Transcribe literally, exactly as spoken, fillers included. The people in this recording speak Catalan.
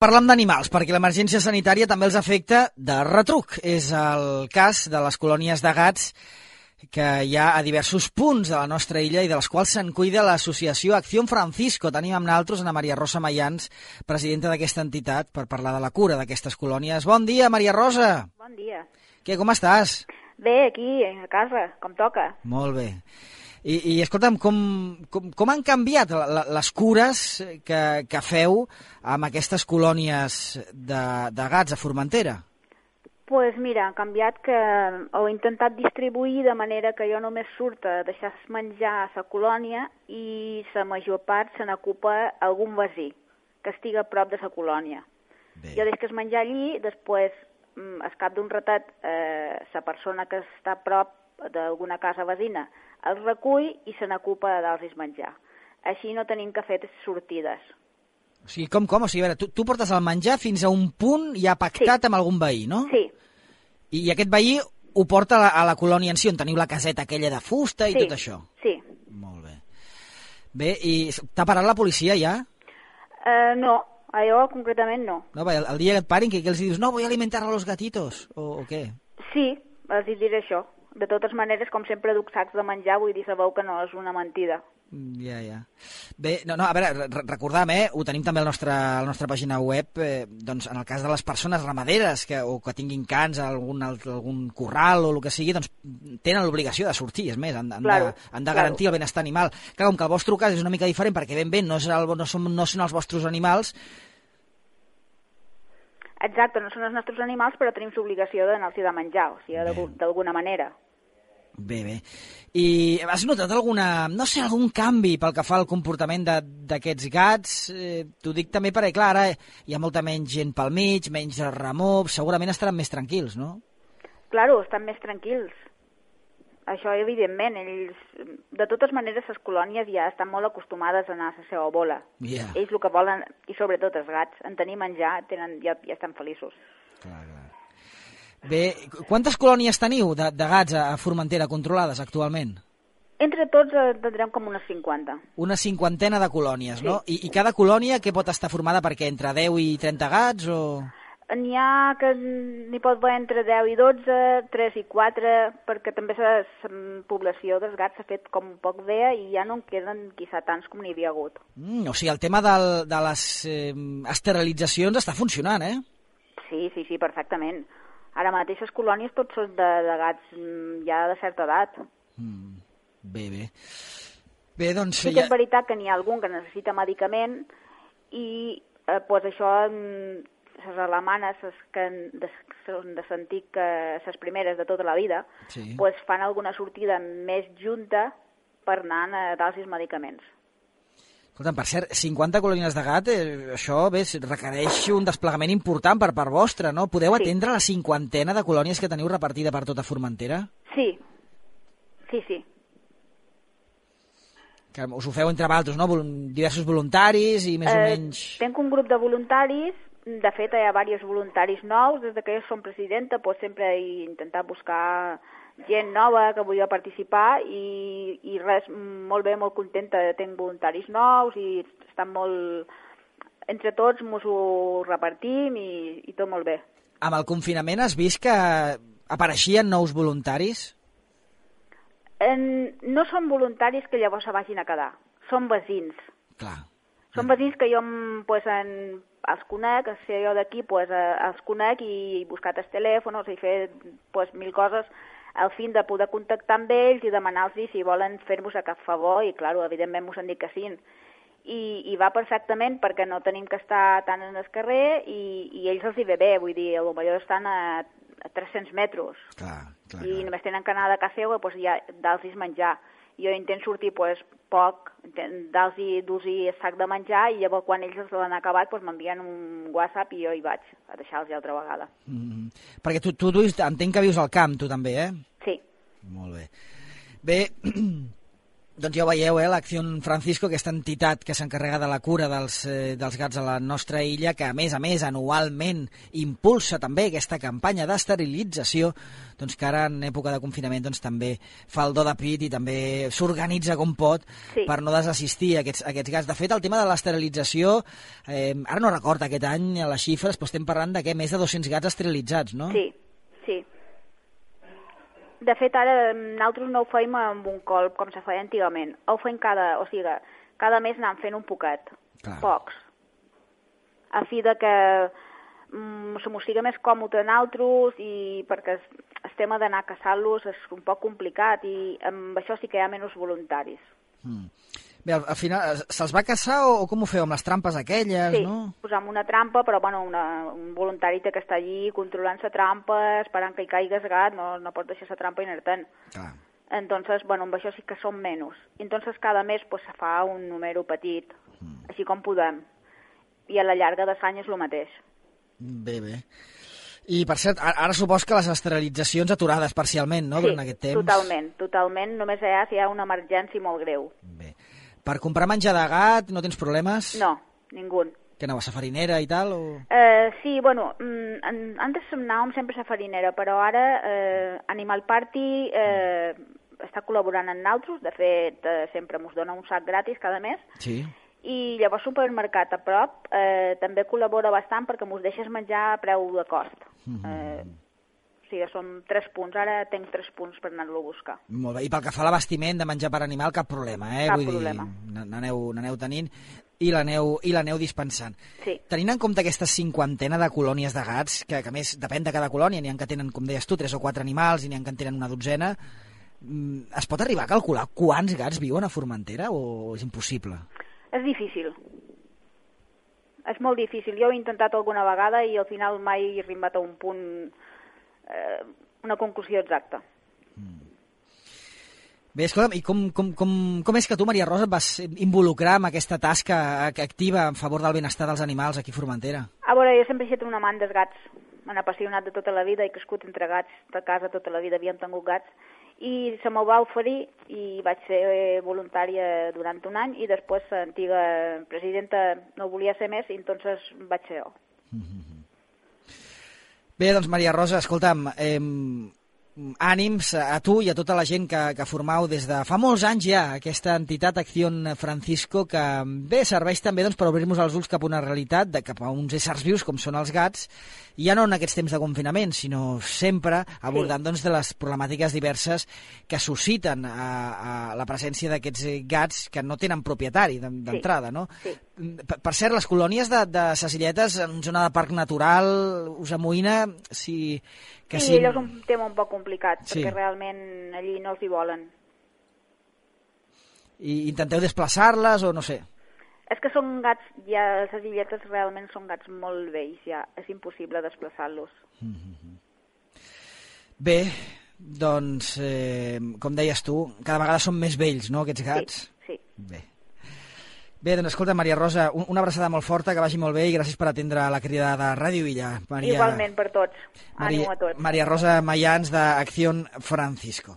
Parlem d'animals, perquè l'emergència sanitària també els afecta de retruc. És el cas de les colònies de gats que hi ha a diversos punts de la nostra illa i de les quals se'n cuida l'associació Acción Francisco. Tenim amb nosaltres Ana Maria Rosa Mayans, presidenta d'aquesta entitat, per parlar de la cura d'aquestes colònies. Bon dia, Maria Rosa. Bon dia. Què, com estàs? Bé, aquí, a casa, com toca. Molt bé. I, i escolta'm, com, com, com han canviat la, la, les cures que, que feu amb aquestes colònies de, de gats a Formentera? Doncs pues mira, han canviat que heu intentat distribuir de manera que jo només surt a deixar menjar a la colònia i la major part se n'ocupa algun veí que estigui a prop de la colònia. Bé. Jo deixo es menjar allí, després, al cap d'un ratet, eh, la persona que està a prop d'alguna casa veïna el recull i se n'ocupa de dar-los menjar. Així no tenim que fer sortides. O sigui, com, com? O sigui, a veure, tu, tu portes el menjar fins a un punt ja pactat sí. amb algun veí, no? Sí. I, i aquest veí ho porta a la, a la colònia en si, on teniu la caseta aquella de fusta i sí. tot això? Sí. Molt bé. Bé, i t'ha parat la policia ja? Uh, no, a jo concretament no. No, el, el dia que et parin, que, que els dius, no, voy a alimentar a los gatitos, o, o què? Sí, els diré això. De totes maneres, com sempre, duc sacs de menjar, vull dir, sabeu que no és una mentida. Ja, ja. Bé, no, no, a veure, recordam, eh, ho tenim també a la nostra, a la nostra pàgina web, eh, doncs en el cas de les persones ramaderes que, o que tinguin cans a algun, algun corral o el que sigui, doncs tenen l'obligació de sortir, és més, han, han, claro, de, han de garantir claro. el benestar animal. Clar, com que el vostre cas és una mica diferent, perquè ben bé no, és el, no, som, no són els vostres animals. Exacte, no són els nostres animals, però tenim l'obligació d'anar-los de menjar, o sigui, d'alguna manera. Bé, bé. I has notat alguna, no sé, algun canvi pel que fa al comportament d'aquests gats? Eh, T'ho dic també perquè, clar, ara hi ha molta menys gent pel mig, menys remor, segurament estaran més tranquils, no? Claro, estan més tranquils. Això, evidentment, ells, de totes maneres, les colònies ja estan molt acostumades a anar a la seva bola. Yeah. Ells el que volen, i sobretot els gats, en tenir menjar, tenen, ja, ja estan feliços. Clar, clar. Bé, quantes colònies teniu de, de gats a Formentera controlades actualment? Entre tots en tindrem com unes cinquanta. Una cinquantena de colònies, sí. No? I, I cada colònia què pot estar formada per què? Entre deu i trenta gats o...? N'hi ha que n'hi pot haver entre deu i dotze, tres i quatre, perquè també la població dels gats s'ha fet com un poc bé i ja no en queden quizà tants com n'hi havia hagut. Mm, o sigui, el tema del, de les eh, esterilitzacions està funcionant, eh? Sí, sí, sí, perfectament. Ara mateix les colònies tots són de, de gats ja de certa edat. Mm, bé, bé. Bé, doncs... Sí que és veritat que n'hi ha algun que necessita medicament i eh, pues això... les alemanes que de, són de sentir que les primeres de tota la vida sí. pues fan alguna sortida més junta per anar a dar els medicaments. Escolta'm, per cert, cinquanta colònies de gat, eh, això bé, requereix un desplegament important per part vostra, no? Podeu sí. atendre la cinquantena de colònies que teniu repartida per tota Formentera? Sí, sí, sí. Que us ho feu entre vosaltres, no? Diversos voluntaris i més eh, o menys... Tenc un grup de voluntaris. De fet, hi ha diversos voluntaris nous. Des que jo som presidenta, doncs sempre he intentat buscar gent nova que volia participar i, i res, molt bé, molt contenta. Tenc voluntaris nous i estan molt... Entre tots ens ho repartim i, i tot molt bé. Amb el confinament has vist que apareixien nous voluntaris? En, no són voluntaris que llavors se vagin a quedar. Són veïns. Clar. Són veïns que jo pues, en, els conec, si jo d'aquí pues, els conec i he buscat els telèfons, he fet pues, mil coses al fin de poder contactar amb ells i demanar-los si volen fer-nos a cap favor i, clar, evidentment m'ho han dit que sí. I, I va perfectament perquè no tenim que estar tant en el carrer i, i ells els hi ve bé, vull dir, potser estan a, a tres-cents metres clar, clar, i clar. només tenen que anar de casa seva pues, ja dar-los menjar. Jo intento sortir pues, poc, dar-los dur-los el sac de menjar i llavors quan ells l'han acabat pues, m'envien un WhatsApp i jo hi vaig a deixar-los altra vegada. Mm-hmm. Perquè tu, tu, tu entenc que vius al camp, tu també, eh? Sí. Molt bé. Bé, Doncs ja ho veieu, eh, l'Acció Francisco, aquesta entitat que s'encarrega de la cura dels, eh, dels gats a la nostra illa, que a més a més anualment impulsa també aquesta campanya d'esterilització, doncs que ara en època de confinament doncs, també fa el do de pit i també s'organitza com pot sí. per no desassistir a aquests, a aquests gats. De fet, el tema de l'esterilització, eh, ara no recordo aquest any les xifres, però estem parlant de què? Més de dos-cents gats esterilitzats, no? Sí, sí. De fet, ara nosaltres no ho feim amb un colp, com se feia antigament. Ho feim cada, o sigui, cada mes anant fent un poquet, Clar. pocs. A fi de que mm, se mos siga més còmode a nosaltres i perquè el, el tema d'anar a caçar-los és un poc complicat i amb això sí que hi ha menys voluntaris. Mm. Bé, al, al final, se'ls va caçar o, o com ho feu, amb les trampes aquelles, sí, no? Sí, posam una trampa, però bueno, una, un voluntari té que estar allí controlant la trampa, esperant que hi caigui el gat, no, no pot deixar la trampa inertant. Clar. Entonces, bueno, amb això sí que són menys. Entonces, cada mes pues, se fa un número petit, mm. així com podem. I a la llarga de l'any és el mateix. Bé, bé. I, per cert, ara supos que les esterilitzacions aturades parcialment, no?, sí, durant aquest temps. Sí, totalment, totalment. Només hi ha si hi ha una emergència molt greu. Bé. Per comprar menjar de gat no tens problemes? No, ningú. Que anaves a farinera i tal? O... Uh, sí, bueno, mm, antes anàvem sempre a farinera, però ara eh, Animal Party eh, està col·laborant amb nosaltres, de fet eh, sempre ens dona un sac gratis cada mes, sí. I llavors Supermercat a prop eh, també col·labora bastant perquè ens deixes menjar a preu de cost. Mm-hmm. Eh, o sigui, són tres punts, ara tenc tres punts per anar-lo a buscar. Molt bé, i pel que fa a l'abastiment de menjar per animal, cap problema, eh? Cap Vull problema. dir, n'aneu tenint i l'aneu dispensant. Sí. Tenint en compte aquesta cinquantena de colònies de gats, que, que a més depèn de cada colònia, n'hi ha que tenen, com deies tu, tres o quatre animals, i n'hi ha que en tenen una dotzena, es pot arribar a calcular quants gats viuen a Formentera o és impossible? És difícil. És molt difícil. Jo ho he intentat alguna vegada i al final mai he arribat a un punt, eh, una conclusió exacta. Mm. Bé, escolta'm, i com, com, com, com és que tu, Maria Rosa, et vas involucrar en aquesta tasca activa en favor del benestar dels animals aquí a Formentera? A veure, jo sempre he estat un amant dels gats. M'han apassionat de tota la vida, he crescut entre gats, de casa tota la vida havíem tingut gats, i se m'ho va oferir i vaig ser voluntària durant un any i després l'antiga presidenta no volia ser més i entonces vaig ser jo. Mm-hmm. Bé, doncs Maria Rosa, escolta'm, eh, ànims a tu i a tota la gent que, que formau des de fa molts anys ja aquesta entitat Acció Francisco, que bé serveix també doncs, per obrir-nos els ulls cap a una realitat, de, cap a uns éssers vius com són els gats, i ja no en aquests temps de confinament, sinó sempre abordant sí. doncs, de les problemàtiques diverses que susciten a, a la presència d'aquests gats que no tenen propietari d'entrada, sí. no? Sí. Per, per cert, les colònies de, de Sacilletes en zona de parc natural us amoïna si... Que sí, si... allò és un tema un poc complicat, sí. perquè realment allí no els hi volen. I intenteu desplaçar-les o no sé? És que són gats, ja les illetes realment són gats molt vells, ja és impossible desplaçar-los. Mm-hmm. Bé, doncs, eh, com deies tu, cada vegada són més vells, no, aquests gats? Sí, sí. Bé. Bé, doncs escolta, Maria Rosa, una abraçada molt forta, que vagi molt bé i gràcies per atendre la crida de Ràdio Illa. Maria... Igualment per tots. Maria... Ànim a tots. Maria Rosa Mayans, d'Acció Francisco.